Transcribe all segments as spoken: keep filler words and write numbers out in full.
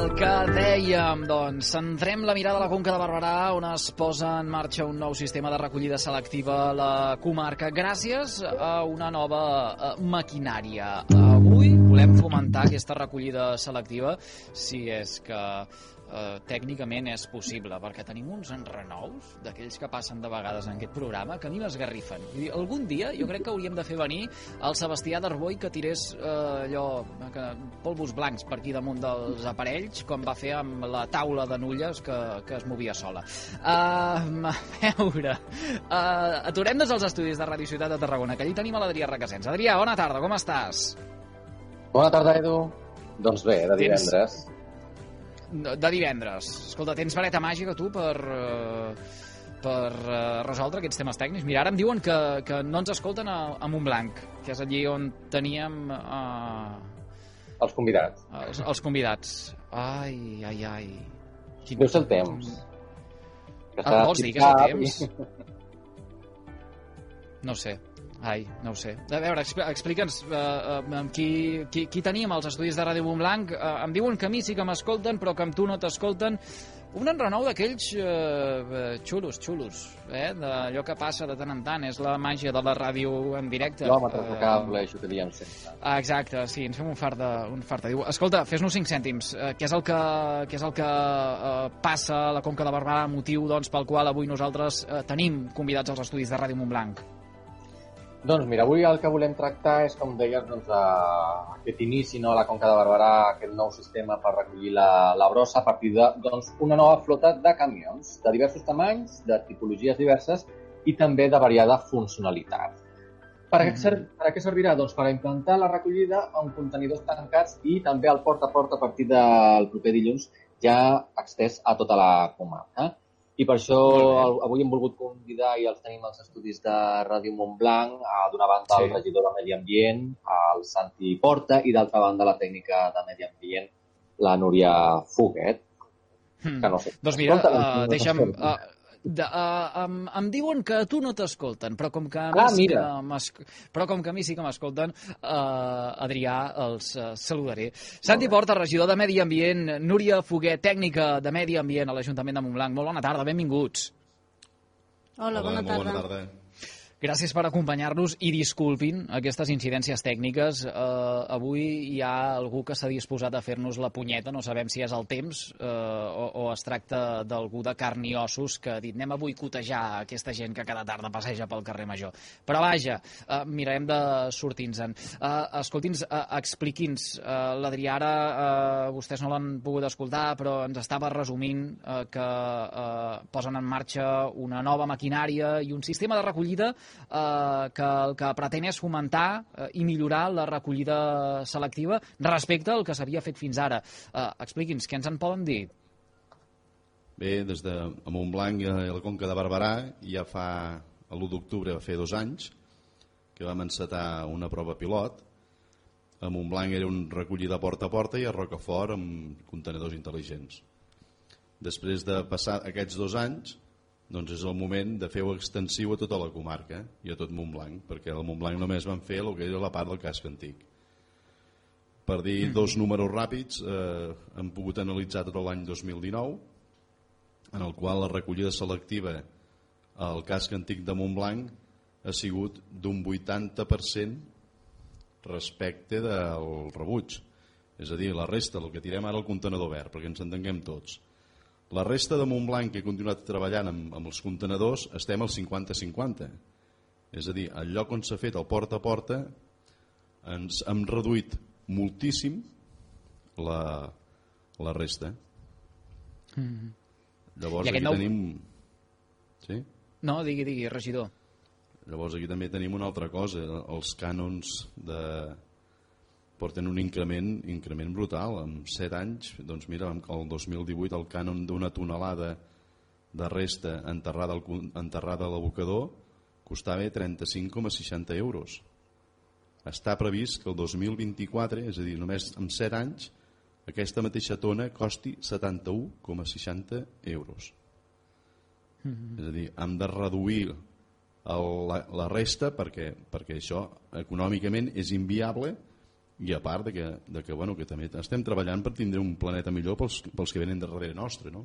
El que dèiem, doncs, centrem la mirada a la Conca de Barberà, on es posa en marxa un nou sistema de recollida selectiva a la comarca, gràcies a una nova uh, maquinària. Avui volem fomentar aquesta recollida selectiva, si és que uh, tècnicament és possible, perquè tenim uns enrenous, d'aquells que passen de vegades en aquest programa, que a mi m'esgarrifen. Vull dir, algun dia jo crec que hauríem de fer venir el Sebastià d'Arboi que tirés uh, allò, que, polvos blancs per aquí damunt dels aparells, com va fer amb la taula de nulles que, que es movia sola. Uh, a veure, uh, aturem-nos als estudis de Radio Ciutat de Tarragona, que allí tenim a l'Adrià Requesens. Adrià, bona tarda, com estàs? Bona tarda, Edu. Doncs bé, de divendres. Tens... De divendres. Escolta, tens vareta màgica, tu, per... Uh... per uh, resoldre aquests temes tècnics. Mira, ara em diuen que, que no ens escolten a, a Montblanc, que és allí on teníem... Uh, els convidats. Els, els convidats. Ai, ai, ai. Quin... Deu ser el temps. Ah, vols dir que és el temps? No sé. Ai, no ho sé. A veure, explica'ns uh, uh, qui, qui, qui tenim als estudis de Ràdio Montblanc. Uh, em diuen que a mi sí que m'escolten, però que amb tu no t'escolten. Un enrenou d'aquells uh, xulos, xulos, eh? D'allò que passa de tant en tant. És la màgia de la ràdio en directe. Quilòmetres de cable, això que diem sempre. Ah, exacte, sí, ens fem un fart de... Un fart de... Diu, escolta, fes-nos cinc cèntims. Uh, què és el que, què és el que uh, passa a la Conca de Barberà, motiu doncs, pel qual avui nosaltres uh, tenim convidats als estudis de Ràdio Montblanc? Doncs mira, avui el que volem tractar és, com deies, doncs, a aquest inici, no, a la Conca de Barberà, aquest nou sistema per recollir la, la brossa a partir de doncs, una nova flota de camions de diversos tamanys, de tipologies diverses i també de variada funcionalitat. Per a, mm. per a què servirà? Doncs per a implantar la recollida en contenidors tancats i també el porta a porta a partir del proper dilluns ja extès a tota la comarca. I per això avui hem volgut convidar, i els tenim als estudis de Ràdio Montblanc, d'una banda sí. el regidor de Medi Ambient, el Santi Porta, i d'altra banda la tècnica de Medi Ambient, la Núria Foguet. Hmm. Que no sé. Doncs mira, uh, deixa'm... Uh, de, uh, em, em diuen que a tu no t'escolten, però com que a mi, ah, sí que però com que a mi sí que m'escolten, uh, Adrià, els uh, saludaré. Santi Porta, regidor de Medi Ambient, Núria Foguet, tècnica de Medi Ambient a l'Ajuntament de Montblanc. Molt bona tarda, benvinguts. Hola, bona tarda. Bona tarda. Gràcies per acompanyar-nos i disculpin aquestes incidències tècniques. Uh, avui hi ha algú que s'ha disposat a fer-nos la punyeta, no sabem si és el temps uh, o, o es tracta d'algú de carn i ossos que ha dit anem a boicotejar aquesta gent que cada tarda passeja pel carrer Major. Però vaja, uh, mirarem de sortir-nos-en. Uh, Escolti'ns, uh, expliqui'ns, uh, l'Adrià ara, uh, vostès no l'han pogut escoltar, però ens estava resumint uh, que uh, posen en marxa una nova maquinària i un sistema de recollida Eh, que el que pretén és fomentar eh, i millorar la recollida selectiva respecte al que s'havia fet fins ara. Eh, expliqui'ns, què ens en poden dir? Bé, des de Montblanc i la Conca de Barberà ja fa l'u d'octubre, va fer dos anys que vam encetar una prova pilot. A Montblanc era un recollida porta a porta i a Rocafort amb contenidors intel·ligents. Després de passar aquests dos anys, doncs és el moment de fer-ho extensiu a tota la comarca i a tot Montblanc, perquè al Montblanc només van fer el que era la part del casc antic. Per dir dos números ràpids, eh, hem pogut analitzar tot l'any dos mil dinou, en el qual la recollida selectiva al casc antic de Montblanc ha sigut d'un vuitanta per cent respecte del rebuig. És a dir, la resta, el que tirem ara al contenedor verd, perquè ens entenguem tots. La resta de Montblanc, que he continuat treballant amb, amb els contenedors, estem al cinquanta cinquanta. És a dir, al lloc on s'ha fet el porta a porta, ens hem reduït moltíssim la, la resta. Mm-hmm. Llavors aquí nou... tenim... Sí? No, digui, digui, regidor. Llavors aquí també tenim una altra cosa. Els cànons de... porten un increment, increment brutal. En set anys, doncs mira, el dos mil divuit el cànon d'una tonelada de resta enterrada, al, enterrada a l'abocador costava trenta-cinc coma seixanta euros. Està previst que el dos mil vint-i-quatre, és a dir, només en set anys, aquesta mateixa tona costi setanta-un coma seixanta euros. Mm-hmm. És a dir, hem de reduir el, la, la resta perquè, perquè això econòmicament és inviable i a part de que, de que, bueno, que també estem treballant per tindre un planeta millor pels, pels que venen darrere nostre, no?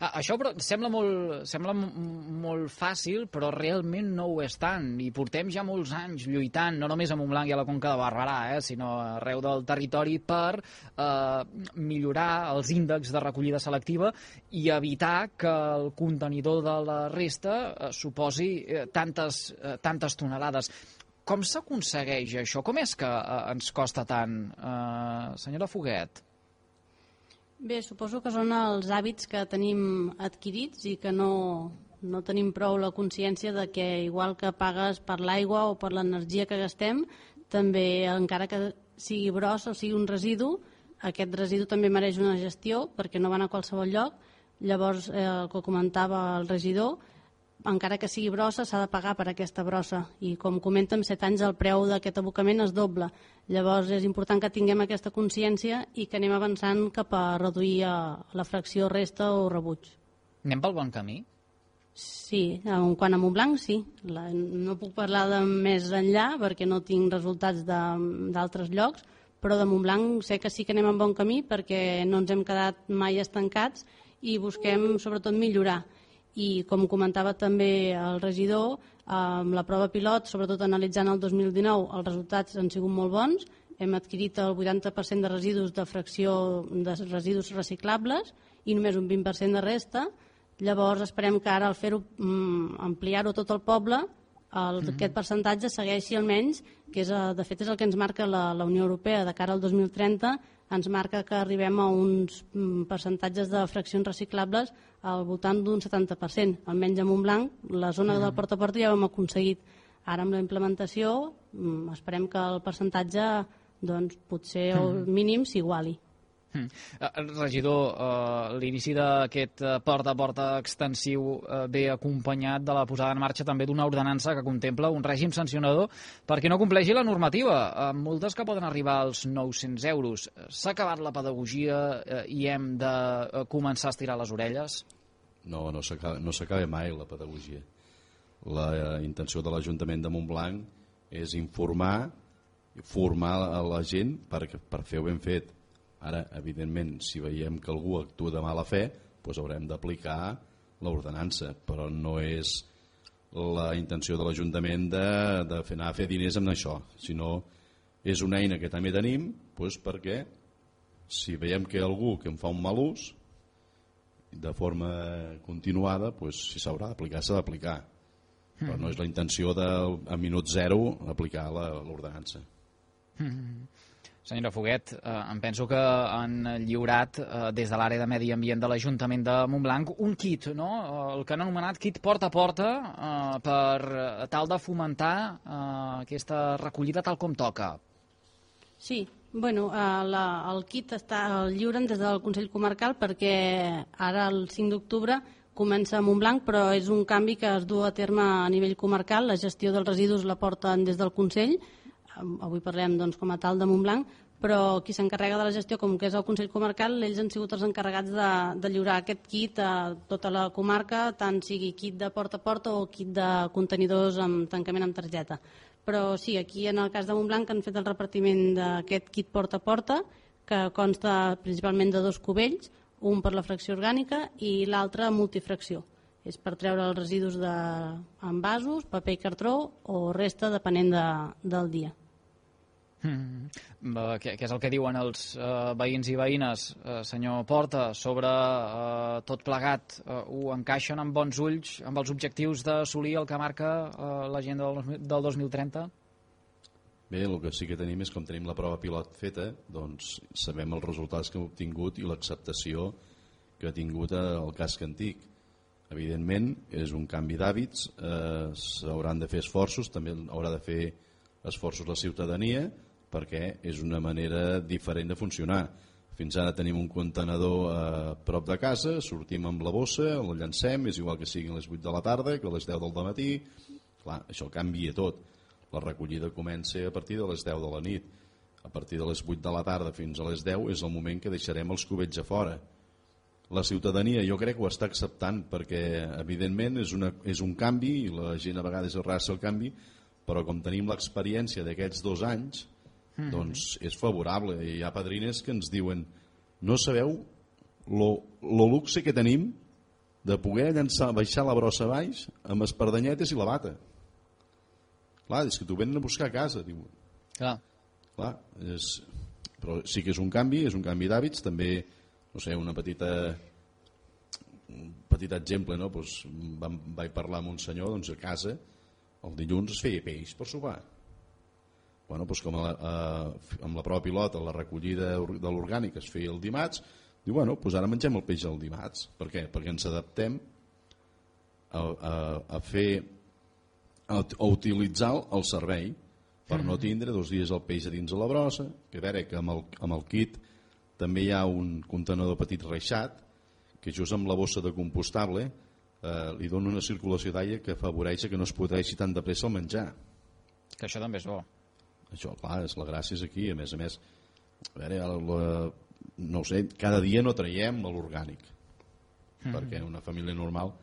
Ah, això però sembla molt, sembla molt fàcil, però realment no ho és tant. I portem ja molts anys lluitant, no només a Montblanc i a la Conca de Barberà, eh, sinó arreu del territori per eh, millorar els índexs de recollida selectiva i evitar que el contenidor de la resta eh, suposi eh, tantes, eh, tantes tonelades. Com s'aconsegueix això? Com és que eh, ens costa tant, eh, senyora Foguet? Bé, suposo que són els hàbits que tenim adquirits i que no, no tenim prou la consciència de que igual que pagues per l'aigua o per l'energia que gastem, també encara que sigui brossa o sigui un residu, aquest residu també mereix una gestió perquè no van a qualsevol lloc. Llavors, eh, el que comentava el regidor, encara que sigui brossa s'ha de pagar per aquesta brossa i com comenta en set anys el preu d'aquest abocament es dobla. Llavors és important que tinguem aquesta consciència i que anem avançant cap a reduir la fracció resta o rebuig. Anem pel bon camí? Sí, en quant a Montblanc sí. La, no puc parlar de més enllà perquè no tinc resultats d'altres llocs, però de Montblanc sé que sí que anem en bon camí perquè no ens hem quedat mai estancats i busquem sobretot millorar. I com comentava també el regidor, amb la prova pilot, sobretot analitzant el dos mil dinou, els resultats han sigut molt bons. Hem adquirit el vuitanta per cent de residus de fracció de residus reciclables i només un vint per cent de resta. Llavors esperem que ara al fer-ho, ampliar-ho a tot el poble, el, mm-hmm. aquest percentatge segueixi almenys, que és, de fet és el que ens marca la, la Unió Europea de cara al dos mil trenta, ens marca que arribem a uns percentatges de fraccions reciclables al voltant d'un setanta per cent. Almenys a Montblanc, la zona mm. del porta a porta ja ho hem aconseguit. Ara amb la implementació esperem que el percentatge doncs, potser mm. el mínim s'iguali. Mm. Uh, regidor, uh, l'inici d'aquest uh, porta a porta extensiu uh, ve acompanyat de la posada en marxa també d'una ordenança que contempla un règim sancionador perquè no compleixi la normativa, amb uh, multes que poden arribar als nou-cents euros. S'ha acabat la pedagogia uh, i hem de uh, començar a estirar les orelles? No, no s'acaba no s'acaba mai la pedagogia. La uh, intenció de l'Ajuntament de Montblanc és informar, formar a la gent per, per fer-ho ben fet. Ara, evidentment, si veiem que algú actua de mala fe, doncs haurem d'aplicar l'ordenança, però no és la intenció de l'Ajuntament de, de fer anar a fer diners amb això, sinó és una eina que també tenim doncs perquè si veiem que hi ha algú que en fa un mal ús, de forma continuada, doncs, si s'haurà d'aplicar, s'ha d'aplicar. Però no és la intenció de, a minut zero, aplicar l'ordenança. Mm-hmm. Senyora Foguet, eh, em penso que han lliurat eh, des de l'àrea de Medi Ambient de l'Ajuntament de Montblanc un kit, no? El que han anomenat kit porta a porta eh, per tal de fomentar eh, aquesta recollida tal com toca. Sí, bueno, eh, la, el kit està el lliuren des del Consell Comarcal perquè ara el cinc d'octubre comença a Montblanc, però és un canvi que es du a terme a nivell comarcal. La gestió dels residus la porten des del Consell. Avui parlem doncs, com a tal de Montblanc, però qui s'encarrega de la gestió, com que és el Consell Comarcal, ells han sigut els encarregats de, de lliurar aquest kit a tota la comarca, tant sigui kit de porta a porta o kit de contenidors amb tancament amb targeta. Però sí, aquí en el cas de Montblanc han fet el repartiment d'aquest kit porta a porta, que consta principalment de dos cubells, un per la fracció orgànica i l'altre multifracció. És per treure els residus d'envasos, paper i cartró o resta depenent de, del dia. Mm. Què, què és el que diuen els uh, veïns i veïnes, uh, senyor Porta, sobre uh, tot plegat? Uh, ho encaixen amb bons ulls amb els objectius d'assolir el que marca uh, l'agenda del, del dos mil trenta? Bé, el que sí que tenim és com tenim la prova pilot feta, doncs sabem els resultats que hem obtingut i l'acceptació que ha tingut el casc antic. Evidentment, és un canvi d'hàbits, eh, s'hauran de fer esforços, també haurà de fer esforços la ciutadania, perquè és una manera diferent de funcionar. Fins ara tenim un contenedor a prop de casa, sortim amb la bossa, el llancem, és igual que siguin les vuit de la tarda que a les deu del matí. Clar, això canvia tot. La recollida comença a partir de les deu de la nit. A partir de les vuit de la tarda fins a les deu és el moment que deixarem els cubells a fora. La ciutadania jo crec que ho està acceptant perquè evidentment és, una, és un canvi i la gent a vegades arrasa el canvi, però com tenim l'experiència d'aquests dos anys Mm-hmm. Doncs és favorable. Hi ha padrines que ens diuen no sabeu lo, lo luxe que tenim de poder llançar, baixar la brossa baix amb espardanyetes i la bata. Clar, és que t'ho venen a buscar a casa. Diu. Clar. Clar, és... però sí que és un canvi, és un canvi d'hàbits. També, no sé, una petita... un petit exemple, no? Pues, vam, vaig parlar amb un senyor, doncs a casa el dilluns es feia peix per sopar. Bueno, doncs com a la, a, amb la prova pilota la recollida de l'orgànic es feia el dimarts, diu, bueno, doncs ara mengem el peix el dimarts. Per què? Perquè ens adaptem a, a, a fer a, a utilitzar el servei per no tindre dos dies el peix a dins de la brossa, que a veure que amb el, amb el kit també hi ha un contenedor petit reixat que just amb la bossa de compostable eh, li dona una circulació d'aire que afavoreix que no es podreixi tan de pressa el menjar. Que això també és bo. Això, clar, és la gràcia és aquí. A més a més, a veure, la, no ho sé, cada dia no traiem l'orgànic. Mm-hmm. Perquè una família normal,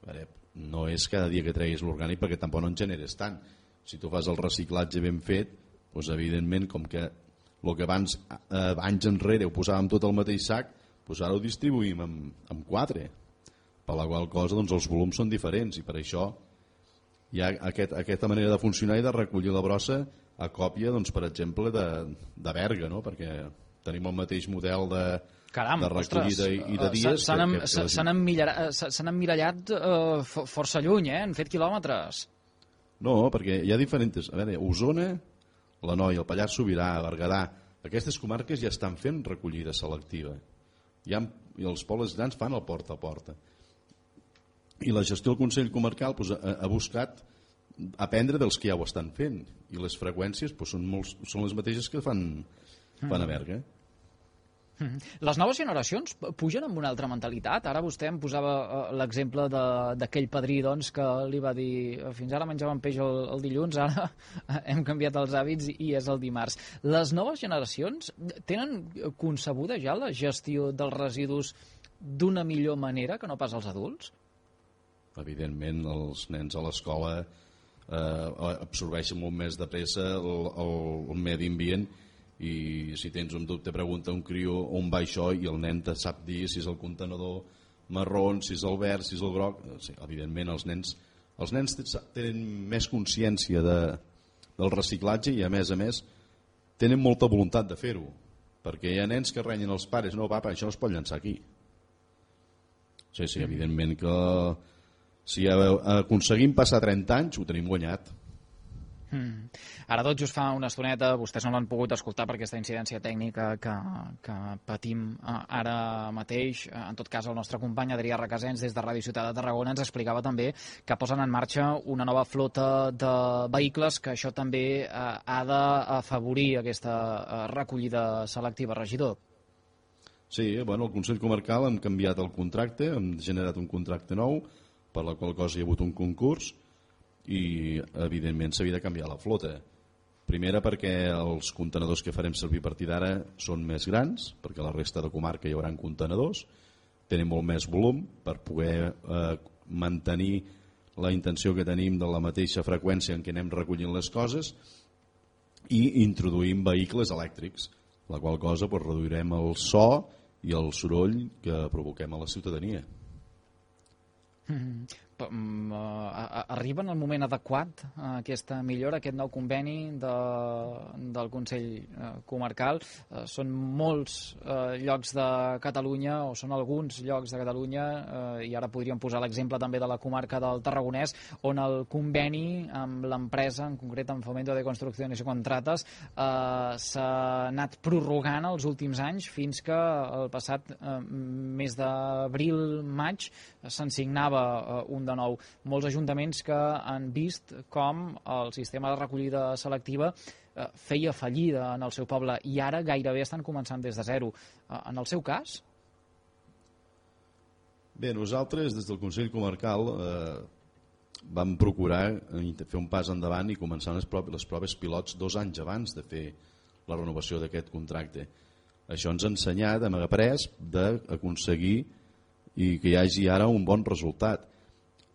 a veure, no és cada dia que treguis l'orgànic perquè tampoc no en generes tant. Si tu fas el reciclatge ben fet, doncs evidentment, com que el que abans, eh, anys enrere ho posàvem tot al mateix sac, doncs ara ho distribuïm en, en quatre. Per la qual cosa doncs, els volums són diferents i per això hi ha aquest, aquesta manera de funcionar i de recollir la brossa a còpia, doncs, per exemple, de, de Berga, no? Perquè tenim el mateix model de, Caram, de recollida ostres, i de dies. S'han emmirallat uh, força lluny, eh? Han fet quilòmetres. No, perquè hi ha diferents... A veure, Osona, l'Anoia, el Pallars Sobirà, Berguedà, aquestes comarques ja estan fent recollida selectiva. Ja, i els pobles grans fan el porta a porta. I la gestió del Consell Comarcal doncs, ha, ha buscat aprendre dels que ja ho estan fent. I les freqüències doncs, són, molts, són les mateixes que fan, fan a Berga. Les noves generacions pugen amb una altra mentalitat. Ara vostè em posava l'exemple d'aquell padrí doncs, que li va dir fins ara menjàvem peix el, el dilluns, ara hem canviat els hàbits i és el dimarts. Les noves generacions tenen concebuda ja la gestió dels residus d'una millor manera que no pas els adults? Evidentment, els nens a l'escola eh, absorbeixen molt més de pressa el, el, el medi ambient. I si tens un dubte pregunta a un crió on va això i el nen te sap dir si és el contenedor marró, si és el verd, si és el groc. Sí, evidentment els nens, els nens tenen més consciència de, del reciclatge i a més a més tenen molta voluntat de fer-ho, perquè hi ha nens que renyen els pares, no papa, això no es pot llançar aquí. Sí, sí, evidentment que si aconseguim passar trenta anys ho tenim guanyat. Mm. Ara tot just fa una estoneta, vostès no l'han pogut escoltar per aquesta incidència tècnica que, que patim ara mateix. En tot cas, el nostre company Adrià Requesens des de Ràdio Ciutat de Tarragona ens explicava també que posen en marxa una nova flota de vehicles que això també eh, ha d'afavorir aquesta eh, recollida selectiva, regidor. Sí, bueno, el Consell Comarcal hem canviat el contracte, hem generat un contracte nou, per la qual cosa hi ha hagut un concurs i evidentment s'havia de canviar la flota. Primera perquè els contenedors que farem servir a partir d'ara són més grans, perquè a la resta de comarca hi haurà contenedors, tenen molt més volum per poder eh, mantenir la intenció que tenim de la mateixa freqüència en què anem recollint les coses i introduïm vehicles elèctrics, la qual cosa doncs, reduirem el so i el soroll que provoquem a la ciutadania. Mm-hmm. Arriba en el moment adequat aquesta millora, aquest nou conveni de, del Consell Comarcal. Són molts eh, llocs de Catalunya, o són alguns llocs de Catalunya, eh, i ara podríem posar l'exemple també de la comarca del Tarragonès, on el conveni amb l'empresa, en concret amb Fomento de Construcciones y Contratas, eh, s'ha anat prorrogant els últims anys fins que el passat eh, mes d'abril-maig se'n signava eh, un de nou. Molts ajuntaments que han vist com el sistema de recollida selectiva eh, feia fallida en el seu poble i ara gairebé estan començant des de zero. Eh, en el seu cas? Bé, nosaltres des del Consell Comarcal eh, vam procurar fer un pas endavant i començar les proves, les proves pilots dos anys abans de fer la renovació d'aquest contracte. Això ens ha ensenyat, hem après d'aconseguir i que hi hagi ara un bon resultat.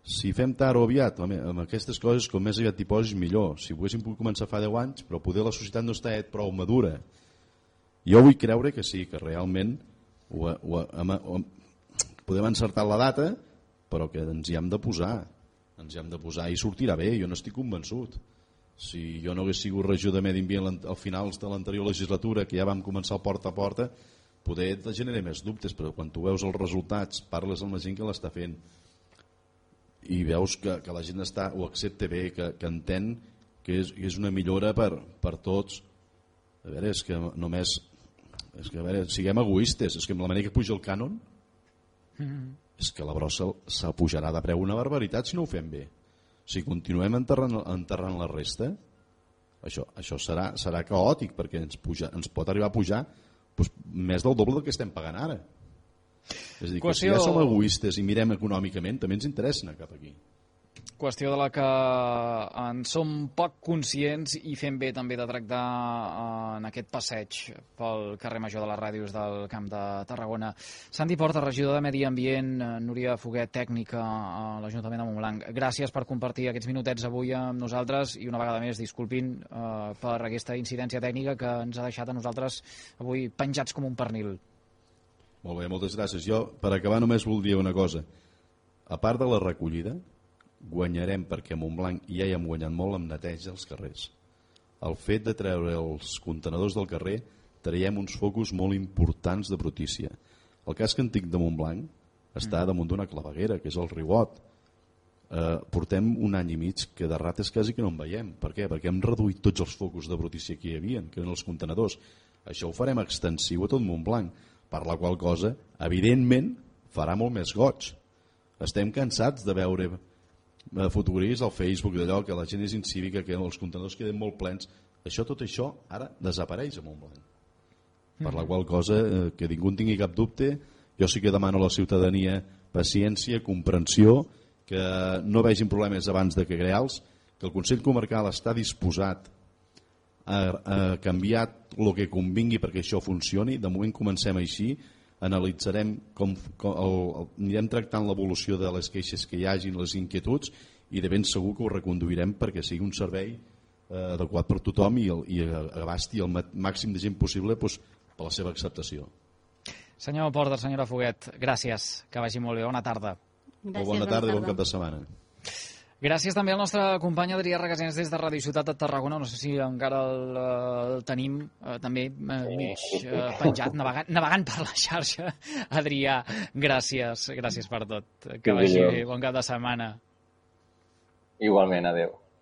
Si fem tard o aviat, home, amb aquestes coses, com més aviat t'hi posis, millor. Si ho haguéssim pogut començar fa deu anys, però poder la societat no està prou madura. Jo vull creure que sí, que realment ho, ho, ho, ho, podem encertar la data, però que ens hi hem de posar. Ens hi hem de posar i sortirà bé, jo n'estic convençut. Si jo no hagués sigut regidor de Medi Ambient al finals de l'anterior legislatura, que ja vam començar el porta a porta, poder te generar més dubtes, però quan tu veus els resultats, parles amb la gent que l'està fent, i veus que, que la gent està, ho accepta bé, que, que entén que és, que és una millora per, per tots. A veure, és que només és que, a veure, siguem egoistes, és que amb la manera que puja el cànon mm-hmm. és que la brossa s'apujarà de preu una barbaritat si no ho fem bé. Si continuem enterrant, enterrant la resta, això, això serà, serà caòtic, perquè ens, puja, ens pot arribar a pujar doncs, més del doble del que estem pagant ara. És a dir, Qüestió... que si ja som egoistes i mirem econòmicament, també ens interessa anar cap aquí. Qüestió de la que en som poc conscients i fem bé també de tractar en aquest passeig pel carrer Major de les Ràdios del Camp de Tarragona. Santi Porta, regidor de Medi Ambient, Núria Foguet, tècnica a l'Ajuntament de Montblanc. Gràcies per compartir aquests minutets avui amb nosaltres i una vegada més disculpin eh, per aquesta incidència tècnica que ens ha deixat a nosaltres avui penjats com un pernil. Molt bé, moltes gràcies. Jo, per acabar, només voldria una cosa. A part de la recollida, guanyarem, perquè a Montblanc ja hi hem guanyat molt amb neteja als carrers. El fet de treure els contenedors del carrer traiem uns focus molt importants de brutícia. El casc antic de Montblanc està damunt d'una claveguera, que és el Riuot. Eh, portem un any i mig que de rates quasi que no en veiem. Per què? Perquè hem reduït tots els focus de brutícia que hi havia, que eren els contenedors. Això ho farem extensiu a tot Montblanc, per la qual cosa, evidentment, farà molt més goig. Estem cansats de veure fotografies al Facebook d'allò que la gent és incívica, que els contenidors queden molt plens. Això, tot això, ara desapareix a Montblanc. Per la qual cosa, eh, que ningú en tingui cap dubte, jo sí que demano a la ciutadania paciència, comprensió, que no vegin problemes abans de que crear-los, que el Consell Comarcal està disposat a, a canviar el que convingui perquè això funcioni. De moment comencem així, analitzarem com, com el, el, anirem tractant l'evolució de les queixes que hi hagin, les inquietuds, i de ben segur que ho reconduirem perquè sigui un servei eh, adequat per tothom i, el, i abasti el màxim de gent possible doncs, per la seva acceptació. Senyor Porta, senyora Foguet, gràcies, que vagi molt bé, bona tarda. Gràcies, bona tarda i bon cap de setmana. Gràcies també al nostre company Adrià Regasens des de Ràdio Ciutat de Tarragona. No sé si encara el, el tenim eh, també eh, mig eh, penjat, navegant, navegant per la xarxa. Adrià, gràcies, gràcies per tot. Que vagi bé, bon cap de setmana. Igualment, adeu.